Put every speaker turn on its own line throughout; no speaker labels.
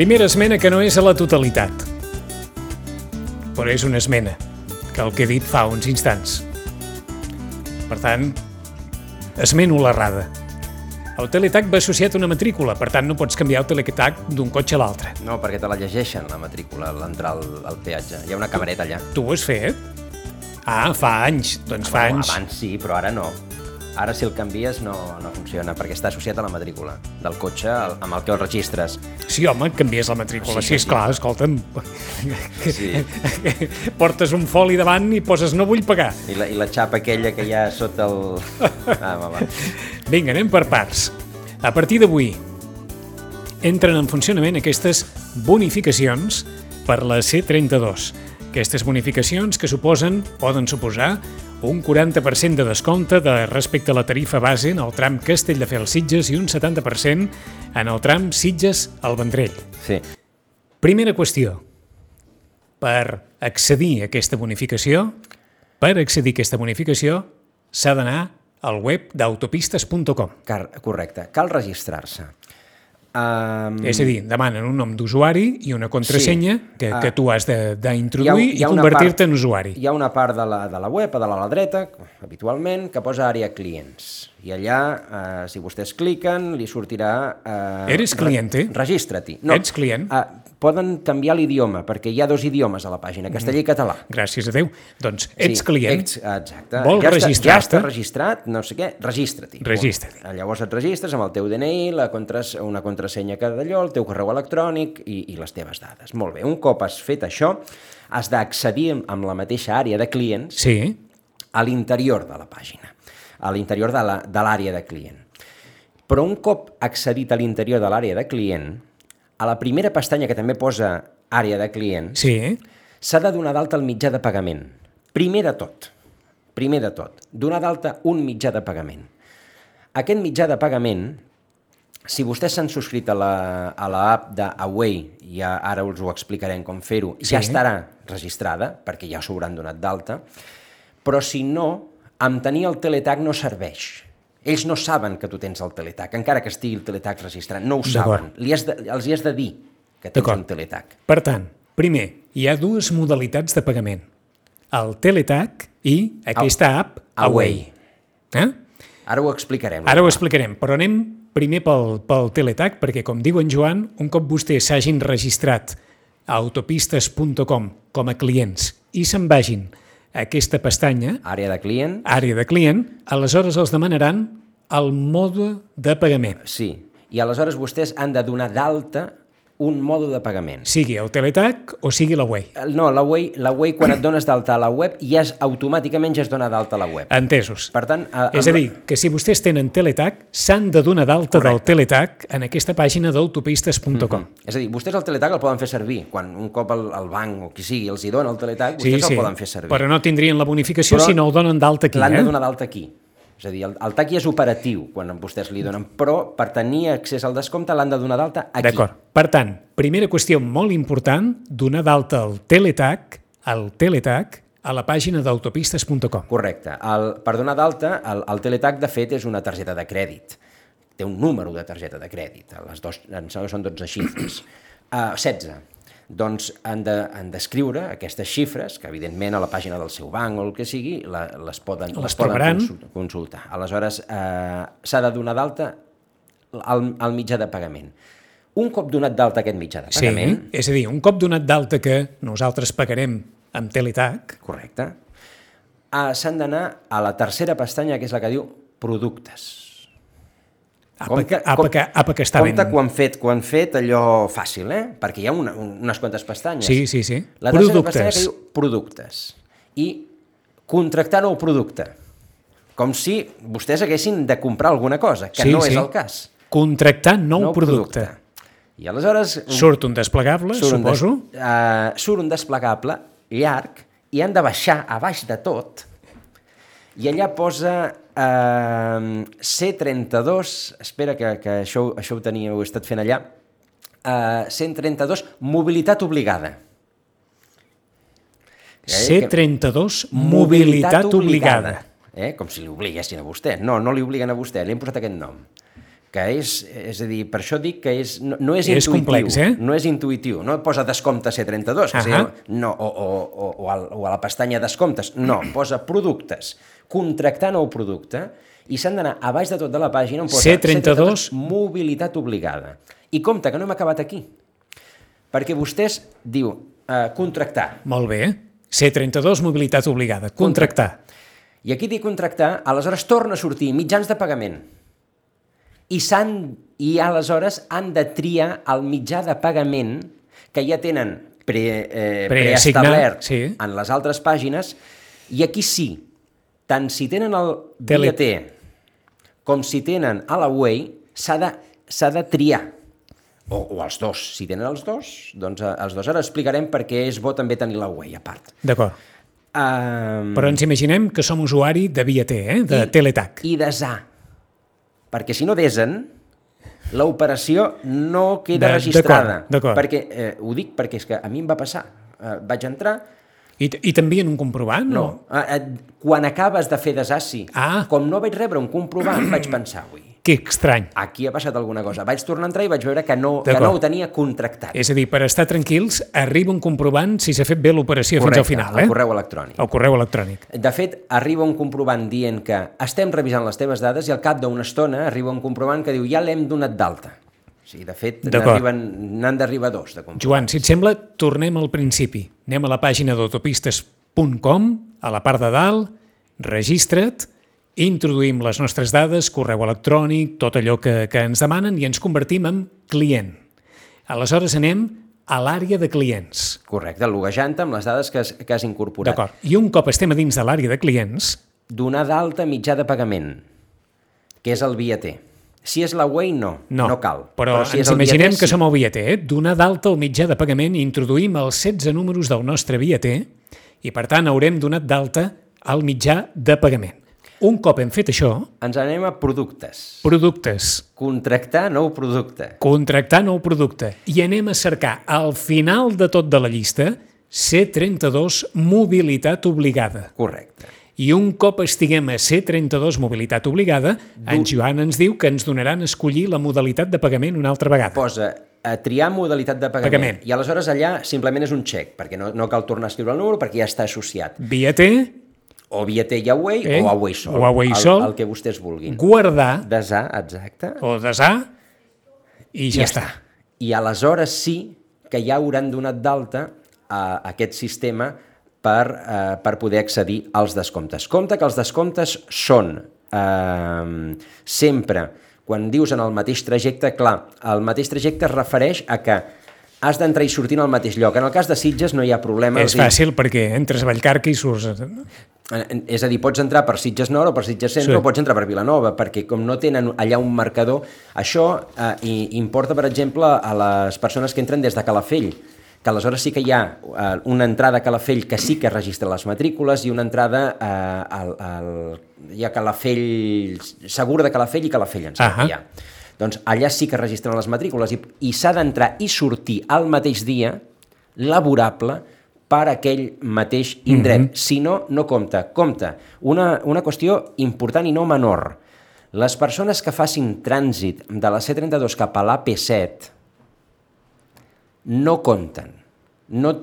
Primera esmena que no és a la totalitat, però és una esmena, que el que he dit fa uns instants. Per tant, esmeno l'errada. El teletag va associat a una matrícula, per tant no pots canviar el teletag d'un cotxe a l'altre.
No, perquè te la llegeixen, la matrícula, a l'entrar al peatge. Hi ha una camereta allà.
Tu ho has fet? Ah, fa anys. Doncs fa anys.
Abans sí, però ara no. Ara si el canvies no funciona, perquè està associat a la matrícula del cotxe amb el que el registres.
Sí, home, canvies la matrícula. Sí, esclar, escolta'm.
Sí.
Portes un foli davant i poses no vull pagar.
I la xapa aquella que hi ha sota el... va.
Vinga, anem per parts. A partir d'avui entren en funcionament aquestes bonificacions per la C32. Aquestes bonificacions que poden suposar un 40% de descompte respecte a la tarifa base en el tram Castelldefels-Sitges i un 70% en el tram Sitges al Vendrell.
Sí.
Primera qüestió. Per accedir a aquesta bonificació, s'ha d'anar al web d'autopistes.com.
Correcte. Cal registrar-se.
És a dir, demanen un nom d'usuari i una contrasenya que tu has d'introduir i convertir-te en usuari.
Hi ha una part de la web, a dalt a la dreta, habitualment, que posa àrea clients. I allà, si vostès cliquen, li sortirà...
Eres cliente?
Registra-t'hi.
No, ets client?
Poden canviar l'idioma, perquè hi ha 2 idiomes a la pàgina, castellà i català.
Gràcies a Déu. Doncs ets client.
Exacte.
Vols registrar-te?
Ja està registrat, no sé què, registra-t'hi.
Registra-t'hi.
Llavors et registres amb el teu DNI, una contrasenya que d'allò, el teu correu electrònic i les teves dades. Molt bé, un cop has fet això, has d'accedir amb la mateixa àrea de clients a l'interior de la pàgina, a l'interior de l'àrea de client. Però un cop accedit a l'interior de l'àrea de client, a la primera pestanya que també posa àrea de client, s'ha de donar d'alta el mitjà de pagament. Primer de tot, donar d'alta un mitjà de pagament. Aquest mitjà de pagament, si vostès s'han subscrit a l'app d'Away, i ara us ho explicarem com fer-ho, ja estarà registrada, perquè ja s'ho hauran donat d'alta, però si no, amb tenir el teletag no serveix. Ells no saben que tu tens el teletag, encara que estigui el teletag registrat, no ho saben. Els hi has de dir que tens un teletag.
Per tant, primer, hi ha 2 modalitats de pagament. El teletag i aquesta app Away.
Ara ho explicarem.
Però anem primer pel teletag, perquè com diu en Joan, un cop vostès s'hagin registrat a autopistes.com com a clients i se'n vagin a aquesta pestanya,
àrea de
client, aleshores els demanaran el mode de pagament.
Sí, i aleshores vostès han de donar d'alta un mode de pagament.
Sigui el teletag o sigui l'Away.
No, l'Away quan et dones d'alta a la web automàticament ja es dona d'alta a la web.
Entesos.
Per tant,
és a dir, que si vostès tenen teletag, s'han de donar d'alta del teletag en aquesta pàgina d'autopistes.com.
És a dir, vostès el teletag el poden fer servir. Quan un cop el banc o qui sigui els hi dona el teletag, vostès el poden fer servir.
Però no tindrien la bonificació si no el donen d'alta aquí.
L'han de donar d'alta aquí. És a dir, el TAC ja és operatiu quan vostès li donen, però per tenir accés al descompte l'han de donar d'alta aquí.
D'acord. Per tant, primera qüestió molt important, donar d'alta el teletag a la pàgina d'autopistes.com.
Correcte. Per donar d'alta, el teletag, de fet, és una targeta de crèdit. Té un número de targeta de crèdit. Les dues, em sembla que són 12 xifres. 16. Doncs han d'escriure aquestes xifres, que evidentment a la pàgina del seu banc o el que sigui les poden consultar. Aleshores, s'ha de donar d'alta el mitjà de pagament. Un cop donat d'alta aquest mitjà de pagament...
Sí, és a dir, un cop donat d'alta que nosaltres pagarem amb teletag...
Correcte. S'han d'anar a la tercera pestanya, que és la que diu productes.
Apa que està ben...
Compte quan fet allò fàcil, perquè hi ha unes quantes pestanyes.
Sí.
La tercera pestanya que diu productes. I contractar nou producte. Com si vostès haguessin de comprar alguna cosa, que no és el cas.
Contractar nou producte.
I aleshores...
Surt un desplegable, suposo.
Surt un desplegable llarg i han de baixar a baix de tot i allà posa C32, espera que això ho tenia, ho he estat fent allà, 132, mobilitat obligada.
C32, mobilitat obligada.
Com si li obliguessin a vostè. No li obliguen a vostè, li han posat aquest nom. que és a dir, per això dic que no és intuïtiu.
Complex,
No és intuïtiu. No posa descompte C32, no, o a la pestanya descomptes. No, posa productes. Contractar nou producte i s'han d'anar a baix de tot de la pàgina on posa
C32
mobilitat obligada. I compte, que no hem acabat aquí. Perquè vostès diu contractar.
Molt bé. C32 mobilitat obligada. Contractar.
I aquí dic contractar, aleshores torna a sortir mitjans de pagament. I aleshores han de triar el mitjà de pagament que ja tenen preestablert en les altres pàgines, i aquí sí, tant si tenen el BT com si tenen a la Way, s'ha de triar. O els dos. Si tenen els dos, doncs els dos. Ara explicarem per què és bo també tenir la Way a part.
D'acord. Però ens imaginem que som usuari de BT, de Teletac.
I d'ESA. Perquè si no desen, l'operació no queda registrada.
D'acord.
Perquè, ho dic perquè és que a mi em va passar. Vaig entrar...
I t'envien un comprovant?
No. Quan acabes de fer desassi, com no vaig rebre un comprovant, vaig pensar, ui,
que estrany.
Aquí ha passat alguna cosa. Vaig tornar a entrar i vaig veure que no ho tenia contractat.
És a dir, per estar tranquils, arriba un comprovant si s'ha fet bé l'operació fins al final.
Correcte, el correu electrònic.
El correu electrònic.
De fet, arriba un comprovant dient que estem revisant les teves dades i al cap d'una estona arriba un comprovant que diu ja l'hem donat d'alta. Sí, de fet, n'han d'arribar dos de comprovants.
Joan, si et sembla, tornem al principi. Anem a la pàgina d'autopistes.com, a la part de dalt, registra't, introduïm les nostres dades, correu electrònic, tot allò que ens demanen i ens convertim en client. Aleshores anem a l'àrea de clients.
Correcte, loguejant amb les dades que has incorporat.
D'acord. I un cop estem a dins de l'àrea de clients...
Donar d'alta mitjà de pagament, que és el BT. Si és la Way, no cal.
Però si ens imaginem que som al BT, donar d'alta el mitjà de pagament, introduïm els 16 números del nostre BT i, per tant, haurem donat d'alta el mitjà de pagament. Un cop hem fet això...
Ens anem a productes.
Productes.
Contractar nou producte.
Contractar nou producte. I anem a cercar, al final de tot de la llista, C32 mobilitat obligada.
Correcte.
I un cop estiguem a C32 mobilitat obligada, en Joan ens diu que ens donaran a escollir la modalitat de pagament una altra vegada.
Posa a triar modalitat de pagament. I aleshores allà simplement és un xec, perquè no cal tornar a escriure el número perquè ja està associat.
BT...
O BT i Away, o Away sol.
O Away sol.
El que vostès vulguin.
Guardar.
Desar, exacte.
O desar. I ja està.
I aleshores sí que ja hauran donat d'alta a aquest sistema per poder accedir als descomptes. Compte que els descomptes són sempre, quan dius en el mateix trajecte, clar, el mateix trajecte es refereix a que has d'entrar i sortir en el mateix lloc. En el cas de Sitges no hi ha problema.
És fàcil perquè entres a Vallcarca i surts...
És a dir, pots entrar per Sitges Nord o per Sitges Centre, o pots entrar per Vilanova, perquè com no tenen allà un marcador, això importa, per exemple, a les persones que entren des de Calafell, que aleshores sí que hi ha una entrada a Calafell que sí que registra les matrícules i una entrada hi ha Calafell, Segur de Calafell i Calafell, em sembla que hi ha. Doncs allà sí que registren les matrícules i s'ha d'entrar i sortir al mateix dia laborable per aquell mateix indret. Si no, no compta. Compta. Una qüestió important i no menor. Les persones que facin trànsit de la C32 cap a l'AP7 no compten. No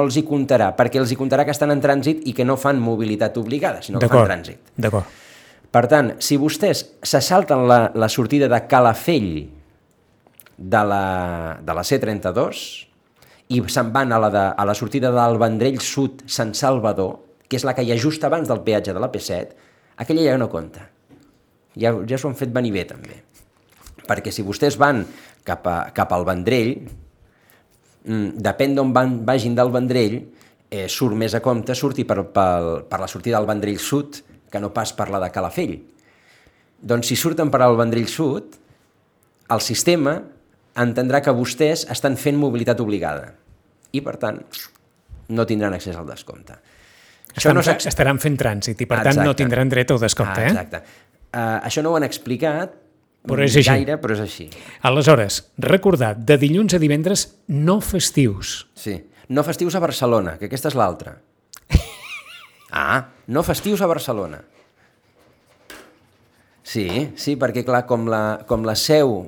els hi comptarà, perquè els hi comptarà que estan en trànsit i que no fan mobilitat obligada, sinó que fan trànsit.
D'acord.
Per tant, si vostès se salten la sortida de Calafell de la C32 i se'n van a la sortida del Vendrell Sud Sant Salvador, que és la que hi ha just abans del peatge de l'AP7, aquella ja no compta. Ja s'ho han fet venir bé, també. Perquè si vostès van cap al Vendrell, depèn d'on vagin del Vendrell, surt més a compte sortir per la sortida del Vendrell Sud que no pas per la de Calafell. Doncs si surten per al Vendrell Sud, el sistema entendrà que vostès estan fent mobilitat obligada i, per tant, no tindran accés al descompte.
Estaran fent trànsit i, per tant, no tindran dret al descompte.
Exacte. Això no ho han explicat
gaire,
però és així.
Aleshores, recordar, de dilluns a divendres no festius.
Sí, no festius a Barcelona, que aquesta és l'altra. No festius a Barcelona. Sí, perquè clar, com la seu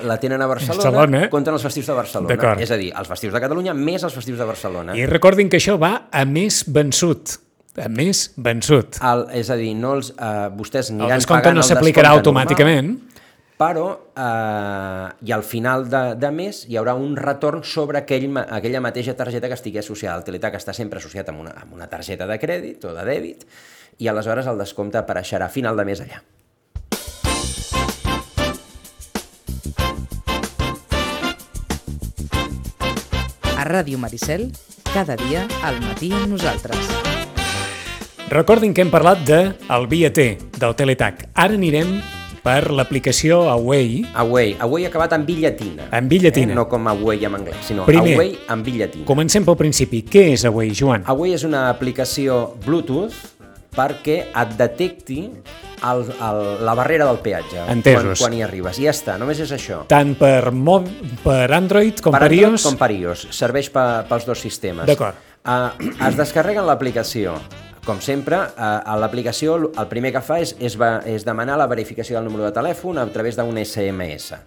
la tenen a Barcelona, compten els festius de Barcelona. És a dir, els festius de Catalunya més els festius de Barcelona.
I recordin que això va a més vençut.
És a dir, vostès aniran pagant
el descompte no s'aplicarà automàticament,
però i al final de mes hi haurà un retorn sobre aquella mateixa targeta que estigui associada. El Teletac està sempre associat amb una targeta de crèdit o de dèbit i aleshores el descompte apareixerà a final de mes allà.
A Ràdio Maricel, cada dia al matí amb nosaltres.
Recordin que hem parlat del Via T, del Teletac. Ara anirem per l'aplicació Away.
Away acabat en B llatina.
En B llatina.
No com Away en anglès, sinó
Primer,
Away en B llatina.
Comencem pel principi. Què és Away, Joan?
Away és una aplicació Bluetooth perquè et detecti la barrera del peatge.
Entesos.
Quan hi arribes. I ja està, només és això.
Tant per Android com per iOS?
Android com per iOS. Serveix pels dos sistemes.
D'acord.
Es descarreguen l'aplicació. Com sempre, a l'aplicació el primer que fa és demanar la verificació del número de telèfon a través d'un SMS.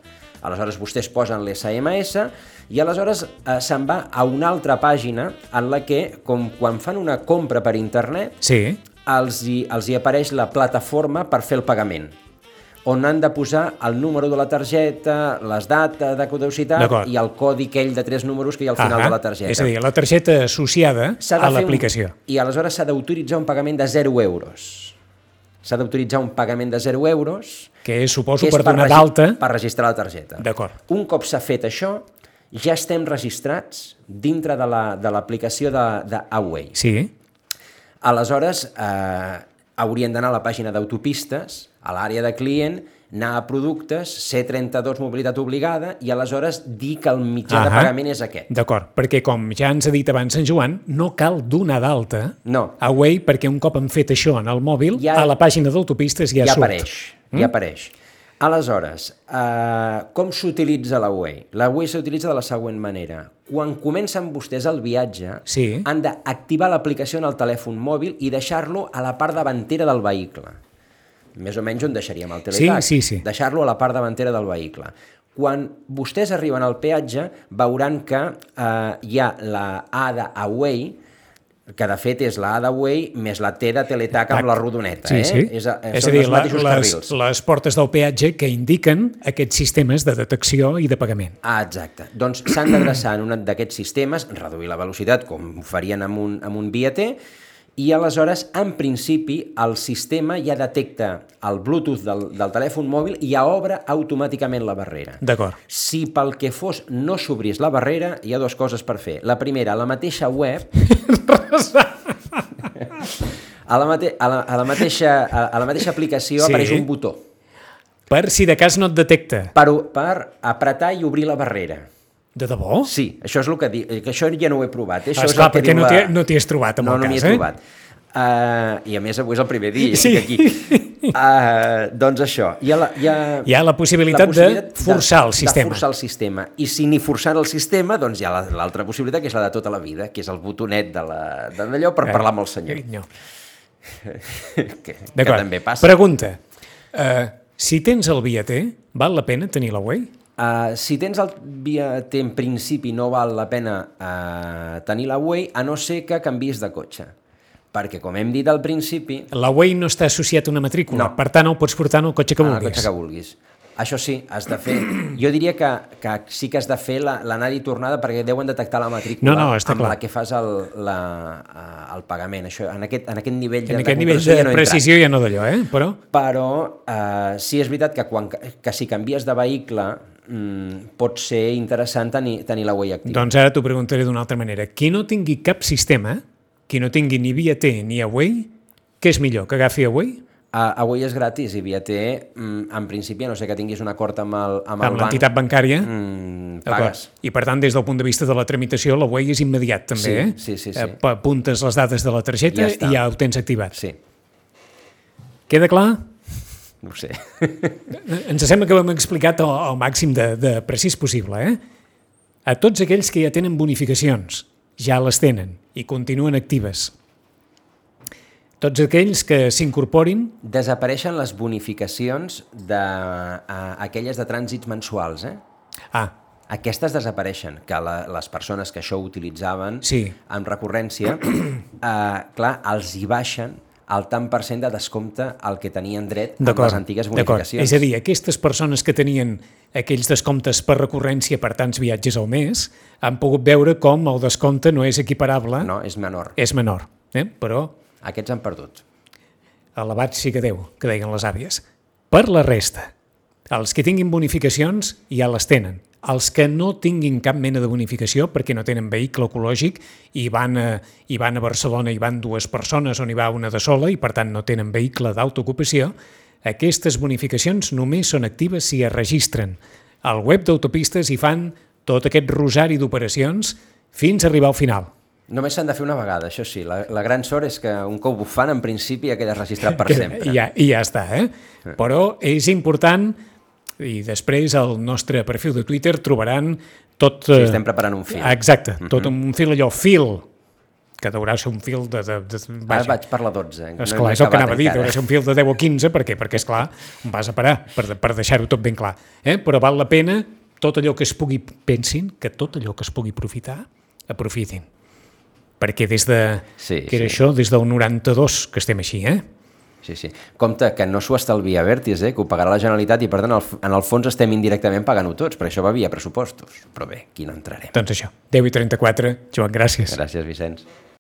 Aleshores vostès posen l'SMS i aleshores se'n va a una altra pàgina en la que, com quan fan una compra per internet, els hi apareix la plataforma per fer el pagament, on han de posar el número de la targeta, les dates de caducitat i el codi aquell de 3 números que hi ha al final de la targeta.
És a dir, la targeta associada a l'aplicació.
I aleshores s'ha d'autoritzar un pagament de 0 euros. S'ha d'autoritzar un pagament de 0 euros...
Que és, suposo, per donar d'alta...
Per registrar la targeta.
D'acord.
Un cop s'ha fet això, ja estem registrats dintre de l'aplicació d'Away.
Sí.
Aleshores, haurien d'anar a la pàgina d'autopistes, a l'àrea de client, anar a productes, C32 mobilitat obligada i aleshores dir que el mitjà de pagament és aquest.
D'acord, perquè com ja ens ha dit abans en Joan, no cal donar d'alta Away perquè un cop han fet això en el mòbil, a la pàgina d'autopistes ja surt.
Ja apareix. Aleshores, com s'utilitza l'Away? L'Away s'utilitza de la següent manera. Quan comencen vostès el viatge, han d'activar l'aplicació en el telèfon mòbil i deixar-lo a la part davantera del vehicle. Més o menys on deixaríem el Teletac.
Sí.
Deixar-lo a la part davantera del vehicle. Quan vostès arriben al peatge, veuran que hi ha la A d'Away, que de fet és la A d'Away més la T de Teletac amb la rodoneta.
És a dir, les portes del peatge que indiquen aquests sistemes de detecció i de pagament.
Exacte. Doncs s'han d'adreçar en un d'aquests sistemes, reduir la velocitat, com ho farien amb un Via T, i aleshores, en principi, el sistema ja detecta el Bluetooth del telèfon mòbil i ja obre automàticament la barrera.
D'acord.
Si pel que fos no s'obrís la barrera, hi ha dues coses per fer. La primera, a la mateixa web... a la mateixa aplicació apareix un botó.
Per si de cas no et detecta.
Per apretar i obrir la barrera.
De debò?
Sí, això és el que dic, que això ja no ho he provat.
Esclar, perquè no t'hi has trobat en el cas,
No m'hi he trobat. I a més avui és el primer dia,
sí.
Aquí. Doncs això. Hi
ha la possibilitat de forçar el sistema.
De forçar el sistema. I si ni forçar el sistema, doncs hi ha l'altra possibilitat, que és la de tota la vida, que és el botonet d'allò per parlar amb el senyor. Que també passa.
Pregunta. Si tens el Via T, val la pena tenir l'Away?
Si tens el Via T, en principi no val la pena tenir l'Away, a no ser que canviïs de cotxe. Perquè, com hem dit al principi...
L'Away no està associat a una matrícula, per tant el pots portar en el cotxe que vulguis.
El cotxe que vulguis. Això sí, has de fer... Jo diria que sí que has de fer l'anada i tornada perquè deuen detectar la matrícula amb la que fas el pagament. Això, en aquest nivell
de precisió ja no d'allò,
Però sí és veritat que si canvies de vehicle pot ser interessant tenir l'Away activa.
Doncs ara t'ho preguntaré d'una altra manera. Qui no tingui cap sistema, qui no tingui ni Via T ni Away, què és millor, que agafi Away?
Away és gratis i Via T, en principi, a no ser que tinguis un acord amb
l'entitat bancària,
pagues.
I per tant, des del punt de vista de la tramitació, l'Away és immediat també,
Sí.
Apuntes les dades de la targeta i ja ho tens activat.
Sí.
Queda clar?
No ho sé.
Ens sembla que ho hem explicat al màxim de precís possible, A tots aquells que ja tenen bonificacions, ja les tenen i continuen actives. Tots aquells que s'incorporin...
Desapareixen les bonificacions aquelles de trànsits mensuals, Aquestes desapareixen, que les persones que això utilitzaven amb recurrència, clar, els hi baixen el tant per cent de descompte al que tenien dret amb les antigues bonificacions.
És a dir, aquestes persones que tenien aquells descomptes per recurrència per tants viatges al mes han pogut veure com el descompte no és equiparable.
No, és menor.
És menor, però...
Aquests han perdut.
Alabat sigui Déu, que deien les àvies. Per la resta, els que tinguin bonificacions ja les tenen. Els que no tinguin cap mena de bonificació perquè no tenen vehicle ecològic i van a Barcelona i van 2 persones on hi va una de sola i per tant no tenen vehicle d'autoocupació, aquestes bonificacions només són actives si es registren. Al web d'autopistes hi fan tot aquest rosari d'operacions fins a arribar al final.
Només s'han de fer una vegada, això sí. La gran sort és que un cop ho fan, en principi ja quedes registrat per sempre.
I ja està, Però és important, i després al nostre perfil de Twitter trobaran tot...
Sí, estem preparant un fil.
Exacte, tot un fil allò, que deurà ser un fil de...
Ara vaig per la 12.
Esclar, és el que anava a dir, deurà ser un fil de 10 o 15, perquè esclar, vas a parar, per deixar-ho tot ben clar. Però val la pena, tot allò que es pugui, pensin, que tot allò que es pugui aprofitar, aprofitin. Perquè des del 92 que estem així,
Sí. Compte que no s'ho estalvia Abertis, que ho pagarà la Generalitat i per tant en el fons estem indirectament pagant-ho tots, per això va via pressupostos. Però bé, aquí no entrarem.
Doncs això, 10:34, Joan, gràcies.
Gràcies, Vicenç.